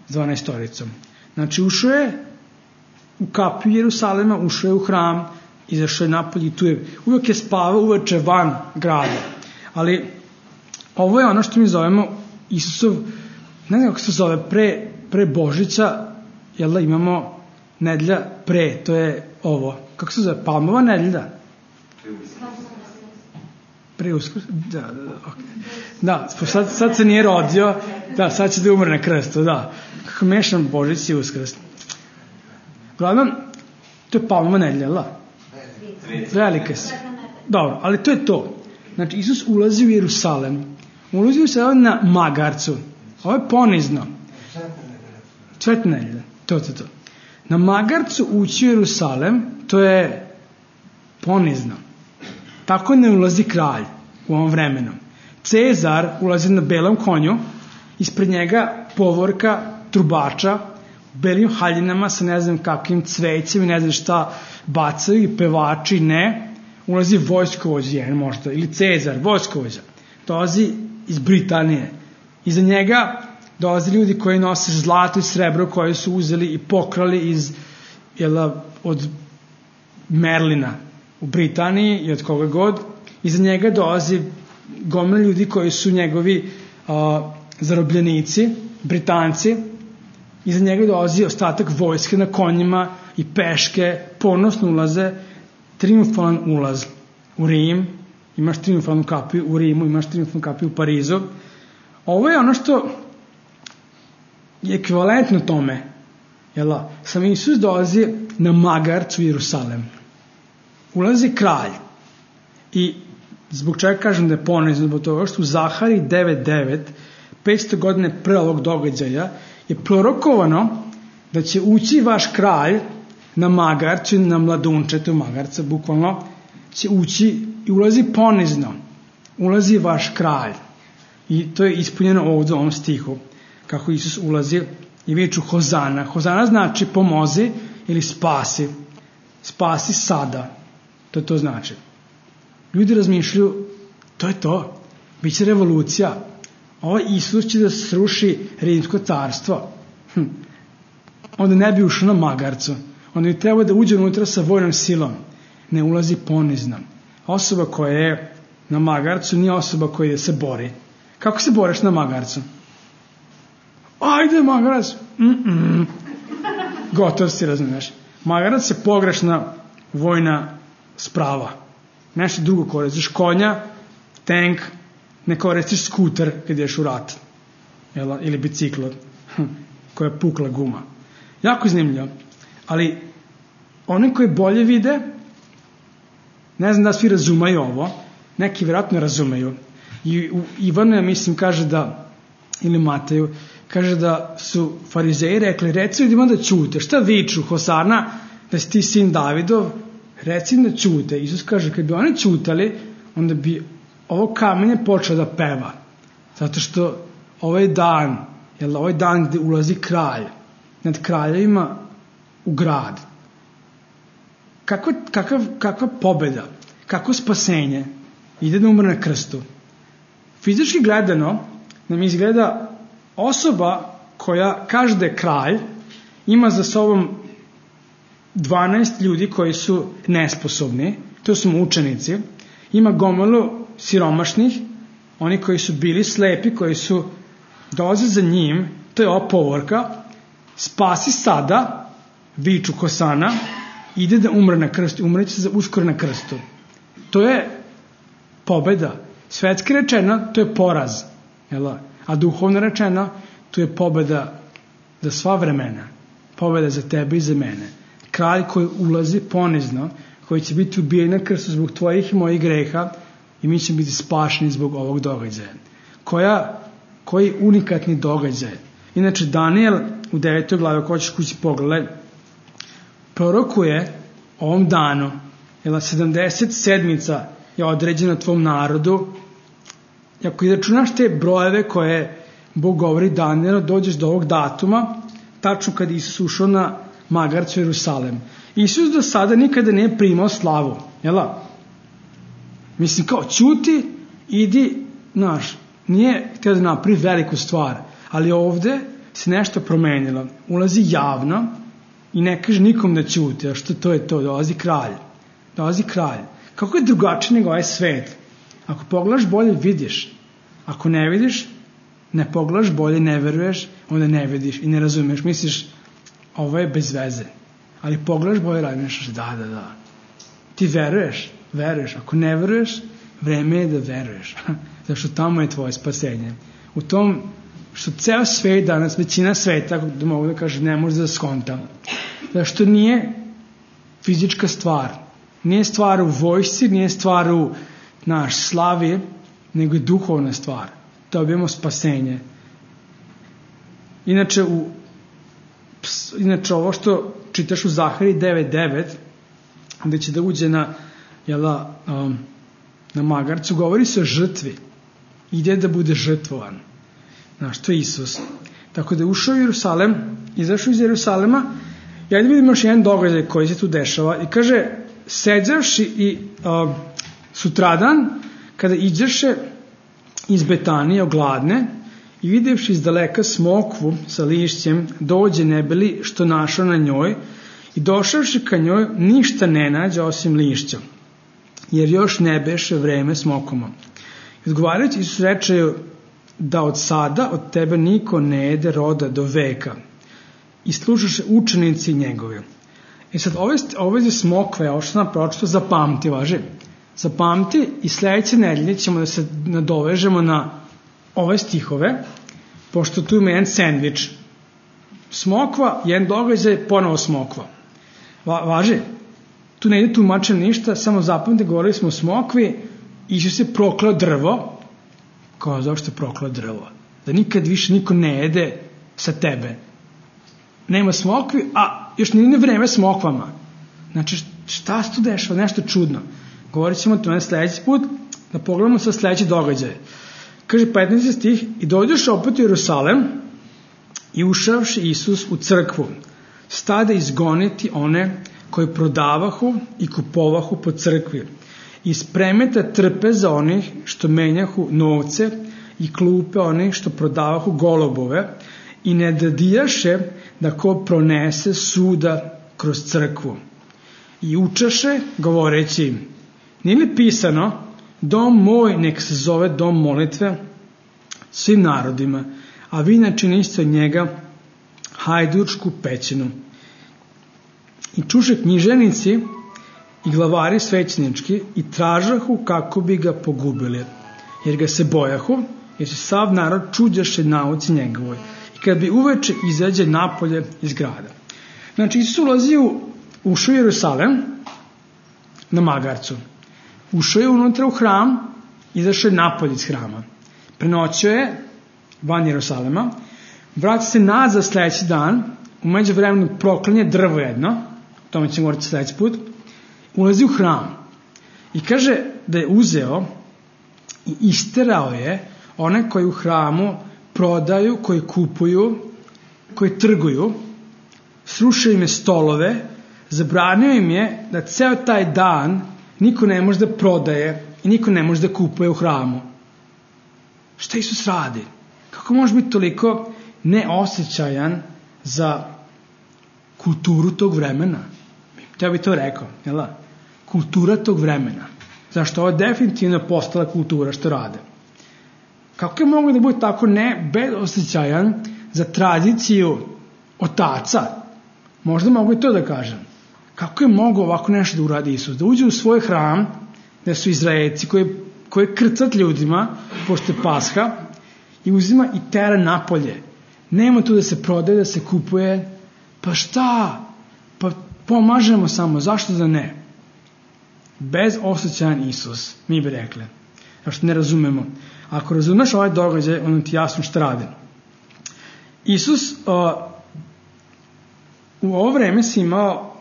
12. Znači, ušao je u kapiju Jerusalema, ušao je u hram, izašao je napolje i tu je. Uvijek je spavao uveče van grada. Ali ovo je ono što mi zovemo Isusov, ne znam kako se zove, pre Božića, imamo nedelja pre, to je ovo. Kako se zove? Palmova nedelja? Pre Uskrs? Da, sad se nije rodio, da, sad će da umre na krstu, da. Kako mešam Božić i Uskrs. Uglavnom, to je Palmova nedelja, velike se. Dobro, ali to je to. Znači, Isus ulazi u Jerusalem. Ulazi u Jerusalem na magarcu. Ovo je ponizno. Sveta nedelja. To. Na magarcu ući u Jerusalem, to je ponizno. Tako ne ulazi kralj u ovom vremenu. Cezar ulazi na belom konju, ispred njega povorka trubača, u belim haljinama sa ne znam kakvim cvećem i ne znam šta bacaju i pevači, ne. Ulazi vojskovođa jedan možda, ili Cezar, vojskovođa. Dolazi iz Britanije. Iza njega dolaze ljudi koji nose zlato i srebro koje su uzeli i pokrali od Merlina u Britaniji i od koga god. Iza njega dolazi gomila ljudi koji su njegovi zarobljenici, Britanci. Iza njega dolazi ostatak vojske na konjima i peške, ponosno ulaze triumfalan ulaz u Rim, imaš triumfalnu kapiju u Rimu, imaš triumfalnu kapiju u Parizu. Ovo je ono što je ekvivalentno tome. Sam Isus dolazi na magarcu u Jerusalem. Ulazi kralj. I zbog čega kažem da je ponizno, zbog toga što u Zahari 9.9, 500 godine pre ovog događaja, je prorokovano da će ući vaš kralj na magarcu, na mladunčetu magarca, bukvalno će ući i ulazi ponizno. Ulazi vaš kralj. I to je ispunjeno ovdje u ovom stihu, kako Isus ulazi i viču Hozana. Hozana znači pomozi ili spasi. Spasi sada. To znači. Ljudi razmišljaju, to je to. Biće revolucija. Ovaj Isus će da sruši rimsko carstvo. Onda ne bi ušao na magarcu. Onda bi trebao da uđe unutra sa vojnom silom. Ne ulazi ponizno. Osoba koja je na magarcu nije osoba koja se bori. Kako se boriš na magarcu? Ajde magarac! Gotov si, razumiješ. Magarac je pogrešna vojna sprava. Nešto drugo koristiš. Konja, tank, ne koristiš skuter kad ješ u rat. Ili bicikl koja je pukla guma. Jako zanimljivo. Ali oni koji bolje vide, ne znam da svi razumaju ovo, neki vjerojatno razumeju. I Ivanu, ja mislim, kaže da, ili Mateju, kaže da su farizeji rekli, reci ljudima da ćute. Šta viču, Hosana, da si ti sin Davidov, reci im da ćute. Isus kaže, kad bi oni ćutali, onda bi ovo kamenje počelo da peva. Zato što ovaj dan gde ulazi kralj, nad kraljevima u grad. Kakva pobeda, kako spasenje, ide da umre na krstu. Fizički gledano nam izgleda osoba koja kaže da je kralj, ima za sobom 12 ljudi koji su nesposobni, to su mučenici, ima gomilu siromašnih, oni koji su bili slepi, koji su dolaze za njim, to je ova povorka, spasi sada, viču Hosana, ide da umre na krstu, umreće uskoro na krstu. To je pobeda. Svetski rečeno, to je poraz. A duhovno rečeno, to je pobeda za sva vremena. Pobeda za tebe i za mene. Kralj koji ulazi ponizno, koji će biti ubijen na krstu zbog tvojih i mojih greha i mi ćemo biti spašeni zbog ovog događaja. Koji unikatni događaj. Inače, Daniel u 9. glavi, ako hoćeš kući pogledaj, prorokuje ovom danu, 70 sedmica je određena tvom narodu. I ako izračunaš te brojeve koje Bog govori Danielu, dođeš do ovog datuma, tačno kad Isus ušao na magarcu u Jerusalem. Isus do sada nikada nije primao slavu. Mislim, kao, ćuti, idi, nije htio da napravi veliku stvar, ali ovde se nešto promenilo. Ulazi javno i ne kaže nikom da ćuti, a što to je to, dolazi kralj. Kako je drugačije nego ovaj svet? Ako pogledaš bolje, vidiš. Ako ne vidiš, ne pogledaš bolje, ne veruješ, onda ne vidiš i ne razumeš. Misliš, ovo je bez veze. Ali pogledaš bolje, radiš, da. Ti veruješ. Ako ne veruješ, vreme je da veruješ. Zašto tamo je tvoje spasenje. U tom što ceo svet danas, većina sveta, da mogu da kažem, ne može da skonta. Zašto nije fizička stvar. Nije stvar u vojsci, nije stvar u slavi, nego je duhovna stvar. Dobijemo spasenje. Inače ovo što čitaš u Zahari 9.9, gde će da uđe na magarcu, govori se o žrtvi. Ide da bude žrtvovan. To je Isus. Tako da je ušao u Jerusalem, izašao iz Jerusalema, i ajde vidimo još jedan događaj koji se tu dešava. I kaže, seđavši i sutradan, kada iđeše iz Betanije ogladne i videvši iz daleka smokvu sa lišćem, dođe nebeli što našao na njoj i došavši ka njoj ništa ne nađe osim lišća, jer još ne beše vreme smokoma. I odgovarajući Isus reče da od sada od tebe niko ne jede roda do veka. I slušaše učenici njegovi. I sad, ove smokve, ovo što sam pročito, zapamti, važi. Zapamti i sledeće nedelje ćemo da se nadovežemo na ove stihove, pošto tu ima jedan sendvič. Smokva, jedan događaj, ponovo smokva. Važi? Tu ne ide tumačen ništa, samo zapamte, govorili smo o smokvi, Isus je proklao drvo, kao zašto je proklao drvo? Da nikad više niko ne jede sa tebe. Nema smokvi, a još nije vreme smokvama. Znači, šta se tu dešava? Nešto čudno. Govorit ćemo to na sledeći put, da pogledamo sa sledeći događaj. Kaže 15. stih, i dođeš opet u Jerusalem i ušavši Isus u crkvu, stade izgoniti one koji prodavahu i kupovahu po crkvi i spremete trpe za onih što menjahu novce i klupe onih što prodavahu golubove i ne dadijaše da ko pronese suda kroz crkvu. I učaše govoreći, nije li pisano, dom moj nek se zove dom molitve svim narodima, a vi načiniste od njega hajdučku pećinu. I čuše književnici i glavari svećenički i tražahu kako bi ga pogubili, jer ga se bojahu, jer se sav narod čuđaše nauci njegovoj. I kad bi uveče izađe napolje iz grada. Znači, Isus ušao u Jerusalem na magarcu. Ušao je unutra u hram, izašao je napolje iz hrama. Prenoćio je van Jerusalema, vrati se nazad sledeći dan, u međuvremenu proklanje drvo jedno, o tome ćemo govoriti sledeći put, ulazi u hram i kaže da je uzeo i isterao je one koji u hramu prodaju, koji kupuju, koji trguju, srušio im je stolove, zabranio im je da ceo taj dan niko ne može da prodaje i niko ne može da kupuje u hramu. Šta Isus radi? Kako može biti toliko neosjećajan za kulturu tog vremena? Ja bih to rekao, jel da? Kultura tog vremena. Zašto? Ovo je definitivno postala kultura što rade. Kako je mogu da bude tako bezosjećajan za tradiciju otaca? Možda mogu i to da kažem. Kako je mogu ovako nešto da uradi Isus? Da uđe u svoj hram, gde su Izraelci koji krcat ljudima, pošto je Pasha, i uzima i tera napolje. Nema tu da se prodaje, da se kupuje. Pa šta? Pa pomažemo samo. Zašto da ne? Bezosjećajan Isus, mi bi rekli. Zašto ne razumemo. Ako razumeš ovaj događaj, onda ti jasno šta radi. Isus u ovo vreme si imao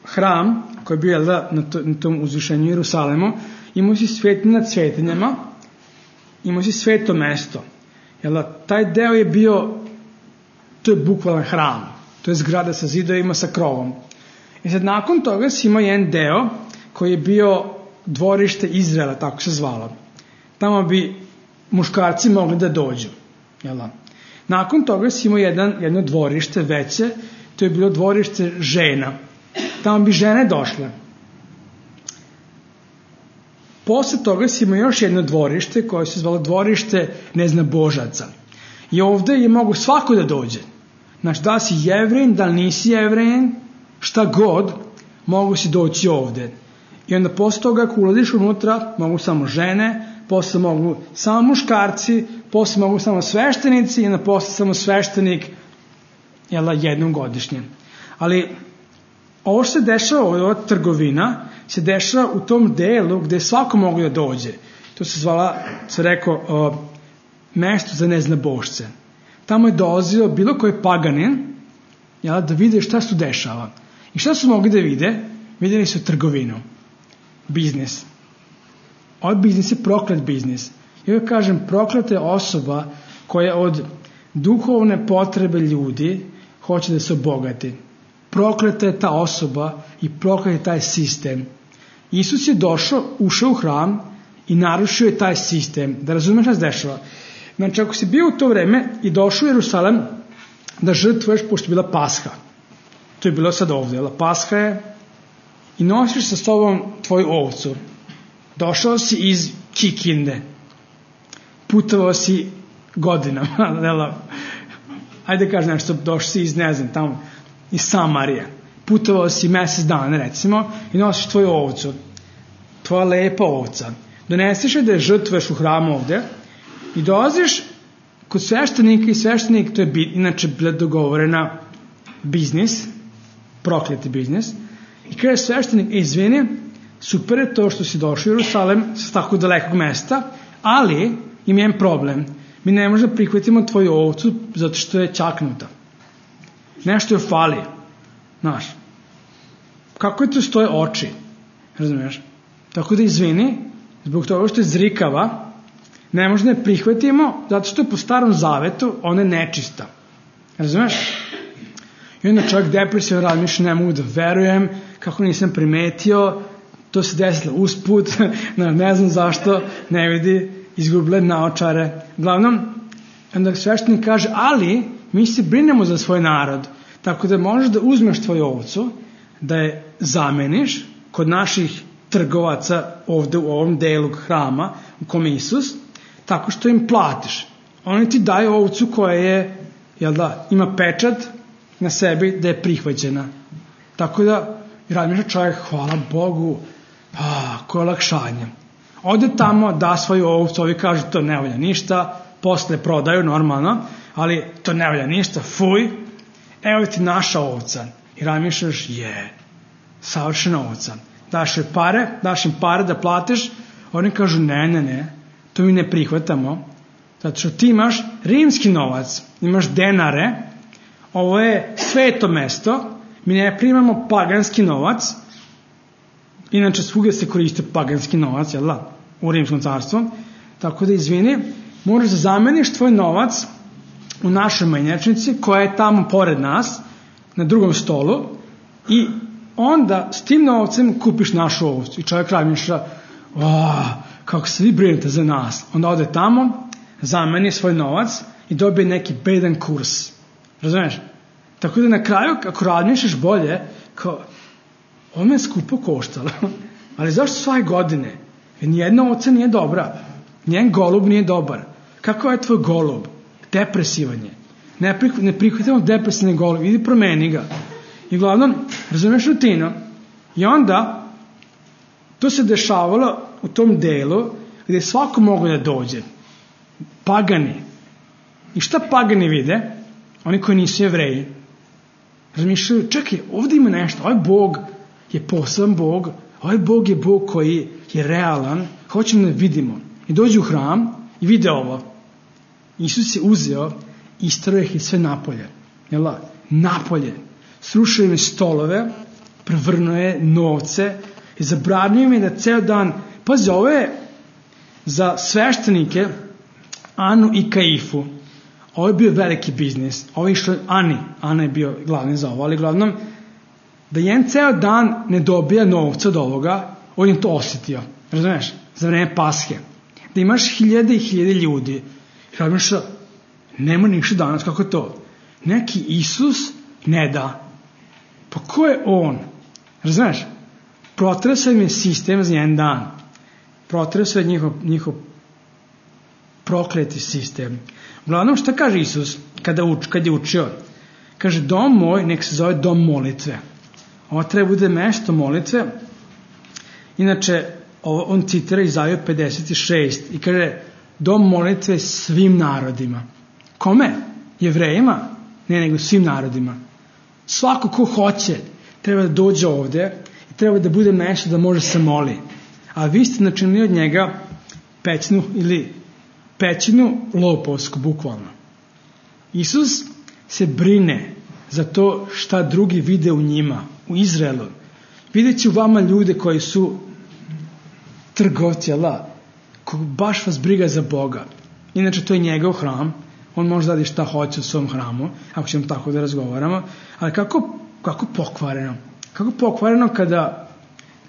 hram, koji je bio na tom uzvišenju Jerusalemu, imao si svetinje nad svetinjama, imao si sveto mesto. Taj deo je bio, to je bukvalan hram, to je zgrada sa zidovima sa krovom. I sad nakon toga si imao jedan deo koji je bio dvorište Izraela, tako se zvalo. Tamo bi muškarci mogli da dođu. Nakon toga si imao jedno dvorište veće, to je bilo dvorište žena. Tamo bi žene došle. Posle toga si imao još jedno dvorište koje se zvalo dvorište neznabožaca. I ovde je mogu svako da dođe. Znači, da li si Jevrin, da li nisi Jevrin, šta god, mogu si doći ovde. I onda posle toga, ako ulaziš unutra, mogu samo žene, posle mogu samo muškarci, posle mogu samo sveštenici i onda posle samo sveštenik jednom godišnje. Ali ovo što se dešava, ova trgovina, se dešava u tom delu gde svako mogu da dođe. To se rekao, mesto za neznabošce. Tamo je dolazio bilo koji paganin, da vide šta se tu dešava. I šta su mogli da vide? Videli su trgovinu, biznis. Ovaj biznis je proklet biznis. I ja kažem, prokleta je osoba koja od duhovne potrebe ljudi hoće da se obogati. Prokleta je ta osoba i proklet je taj sistem. Isus je ušao u hram i narušio je taj sistem. Da razumeš šta se dešava. Znači, ako si bio u to vreme i došao u Jerusalem da žrtvuješ, pošto je bila Pasha. To je bilo sad ovde. Pasha je i nosiš sa sobom tvoju ovcu. Došao si iz Kikinde. Putovao si godinama. Ajde kaži nešto, došao si iz, ne znam, tamo, iz Samarije. putovao si mesec dana recimo i nosiš tvoju ovcu, tvoja lepa ovca, doneseš je da je žrtvuješ u hramu ovde i dolaziš kod sveštenika i sveštenik, to je inače bila dogovorena biznis, prokleti biznis, i kaže sveštenik, izvini, super je to što si došao u Jerusalem sa tako dalekog mesta, ali ima jedan problem, mi ne možemo prihvatimo tvoju ovcu zato što je čaknuta, nešto joj fali, znaš, kako je to stoje oči, razumiješ, tako da izvini, zbog toga što je zrikava, ne možemo da je prihvatimo zato što je po starom zavetu ona je nečista, razumiješ. I onda čovjek depresivan razmišlja, ne mogu da verujem, kako nisam primetio, to se desilo usput, ne znam zašto, ne vidi, izgubile naočare. Uglavnom, onda sveštenik kaže, ali mi se brinemo za svoj narod, tako da možeš da uzmeš tvoju ovcu, da je zameniš kod naših trgovaca ovde u ovom delu hrama u kom je Isus, tako što im platiš. Oni ti daju ovcu koja je, jel da, ima pečat na sebi da je prihvaćena. Tako da, razmišlja čovjek, hvala Bogu, koje olakšanje. Ode tamo, da svoju ovcu, ovi kažu to ne valja ništa, posle prodaju normalno, ali to ne valja ništa, fuj, evo ti naša ovca. I razmišljaš, savršena ovca. Daš im pare da platiš, oni kažu ne, to mi ne prihvatamo, zato što ti imaš rimski novac, imaš denare, ovo je sveto mesto, mi ne primamo paganski novac, inače svugdje se koriste paganski novac, jel da, u rimskom carstvu, tako da izvini, moraš da zameniš tvoj novac u našoj menjačnici koja je tamo pored nas, na drugom stolu, i onda s tim novcem kupiš našu ovcu. I čovjek razmišlja, kako se vi brinete za nas. Onda ode tamo, zameni svoj novac i dobije neki bedan kurs. Razumiješ? Tako da na kraju, ako razmišljaš bolje, kao, ovo me je skupo koštalo. Ali zašto svake godine? Jer nijedna ovca nije dobra. Nijedan golub nije dobar. Kako je tvoj golub? Depresivan je. Ne prihvatimo depresivni golub. Idi promeni ga. I uglavnom, razumiješ rutinu. I onda, to se dešavalo u tom delu gdje svako mogu da dođe. Pagani. I šta pagani vide? Oni koji nisu Jevreji. Razmišljaju, čekaj, ovdje ima nešto. Ovaj Bog je poseban Bog. Ovaj Bog je Bog koji je realan. Hoćemo da vidimo. I dođu u hram i vide ovo. Isus je uzeo i isterao ih sve napolje. Jel' napolje. Srušio im je stolove, prevrnuo je novce i zabranio im je da ceo dan, pazi, ovo je za sveštenike Anu i Kaifu, ovo je bio veliki biznis, ovo je išlo Ana je bio glavni za ovo, ali glavnom, da jedan ceo dan ne dobija novca od ovoga, on je to osjetio, razumiješ, za vreme Paske, da imaš hiljade i hiljade ljudi, i razumiješ, nema ništa danas, kako je to, neki Isus ne da. Pa ko je on? Razumiješ? Protresao im je sistem za jedan dan. Protresao je njihov prokleti sistem. Uglavnom, šta kaže Isus kad je učio? Kaže, dom moj nek se zove dom molitve. Ovo treba bude mesto molitve. Inače, on citira Izaju 56 i kaže, dom molitve svim narodima. Kome? Jevrejima? Ne, nego svim narodima. Svako ko hoće treba da dođe ovde i treba da bude mesto da može se moli. A vi ste načinili od njega pećinu lopovsku, bukvalno. Isus se brine za to šta drugi vide u njima, u Izraelu. Vidjet će u vama ljude koji su trgovci, baš vas briga za Boga. Inače, to je njegov hram. On može da radi šta hoće u svom hramu, ako ćemo tako da razgovaramo. Ali kako pokvareno? Kako pokvareno kada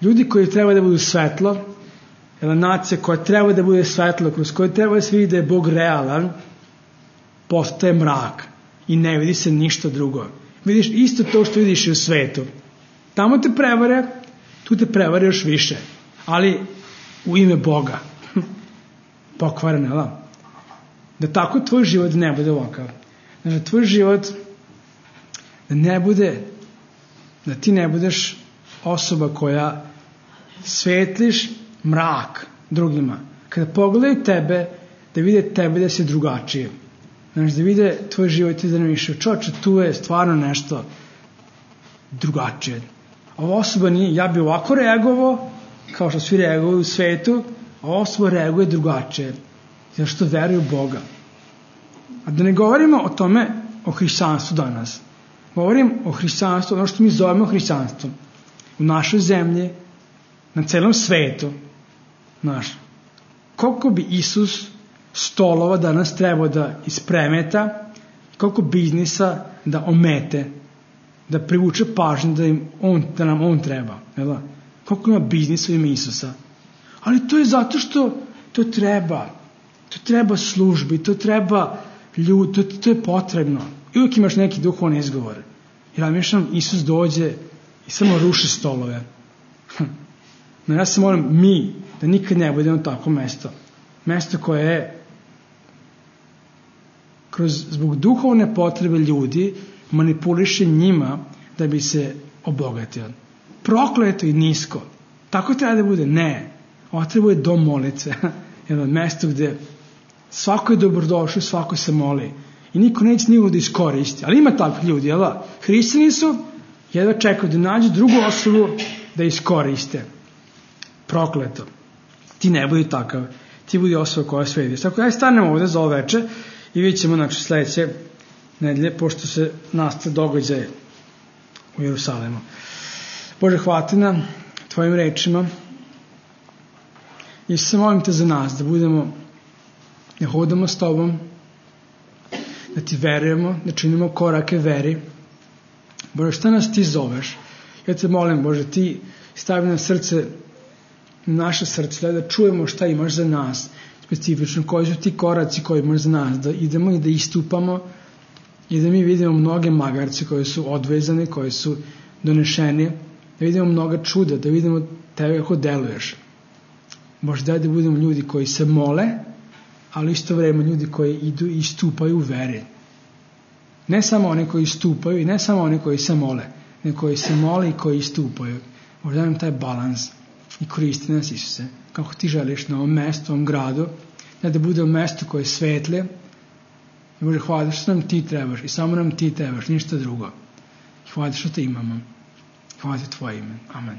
ljudi koji treba da budu svetlo, nacija koja treba da bude svetlo, kroz koju treba da se vidi da je Bog realan, postaje mrak i ne vidi se ništa drugo. Vidiš isto to što vidiš i u svetu. Tamo te prevare, tu te prevare još više. Ali u ime Boga. Pokvareno, da tako tvoj život ne bude ovakav. Da tvoj život da ne bude Da ti ne budeš osoba koja svetliš mrak drugima. Kada pogledaju tebe, da vide tebe da si drugačije. Znaš, da vide tvoj život i da ne više. Čoče, tu je stvarno nešto drugačije. Ova osoba nije, ja bi ovako reagovao, kao što svi reaguju u svetu, a ova osoba reaguje drugačije. Zato što veruju u Boga. A da ne govorimo o tome, o hrišćanstvu danas. Govorim o hrišćanstvu, ono što mi zovemo hrišćanstvom. U našoj zemlji, na celom svetu, znaš, koliko bi Isus stolova danas trebao da ispremeta, koliko biznisa da omete, da privuče pažnju da nam on treba. Jel? Koliko ima biznisa u ime Isusa. Ali to je zato što to treba službi, to treba ljudi, to je potrebno. I uvijek imaš neki duhovni izgovor. Jer ja mišljam, Isus dođe i samo ruši stolove. No ja se molim da nikad ne budemo tako mesto. Mesto koje je zbog duhovne potrebe ljudi manipuliše njima da bi se obogatio. Prokleto i nisko. Tako treba da bude? Ne. Ovo treba je dom molice. Jedno mesto gde svako je dobrodošao, svako se moli. I niko neće nikoga da iskoristi. Ali ima takvih ljudi, jel da? Hrišćani su, jedva čekaju da nađu drugu osobu da iskoriste. Prokleto. Ti ne budi takav. Ti budi osoba koja svediš. Tako da stanemo ovde za ovo veče i vidjet ćemo sledeće nedelje, pošto se nastaje događaj u Jerusalemu. Bože, hvala ti na tvojim rečima i se molim te za nas, da hodamo s tobom, da ti verujemo, da činimo korake veri. Bože, šta nas ti zoveš? Ja te molim, Bože, ti stavi na srce, naše srce, da čujemo šta imaš za nas, specifično, koji su ti koraci koji imaš za nas, da idemo i da istupamo i da mi vidimo mnoge magarce koji su odvezani, koji su donešeni, da vidimo mnoga čuda, da vidimo tebe kako deluješ. Bože, daj da budemo ljudi koji se mole, ali isto vreme ljudi koji idu i istupaju u veri. Ne samo oni koji istupaju i ne samo oni koji se mole, nego koji se mole i koji istupaju. Bože, daj nam taj balans i koristi nas, Isuse, kako ti želiš na ovom mestu, ovom gradu, da budemo mesto koje je svetlje. I Bože, hvala što nam ti trebaš i samo nam ti trebaš, ništa drugo. Hvala što te imamo. Hvala ti tvoje ime. Amen.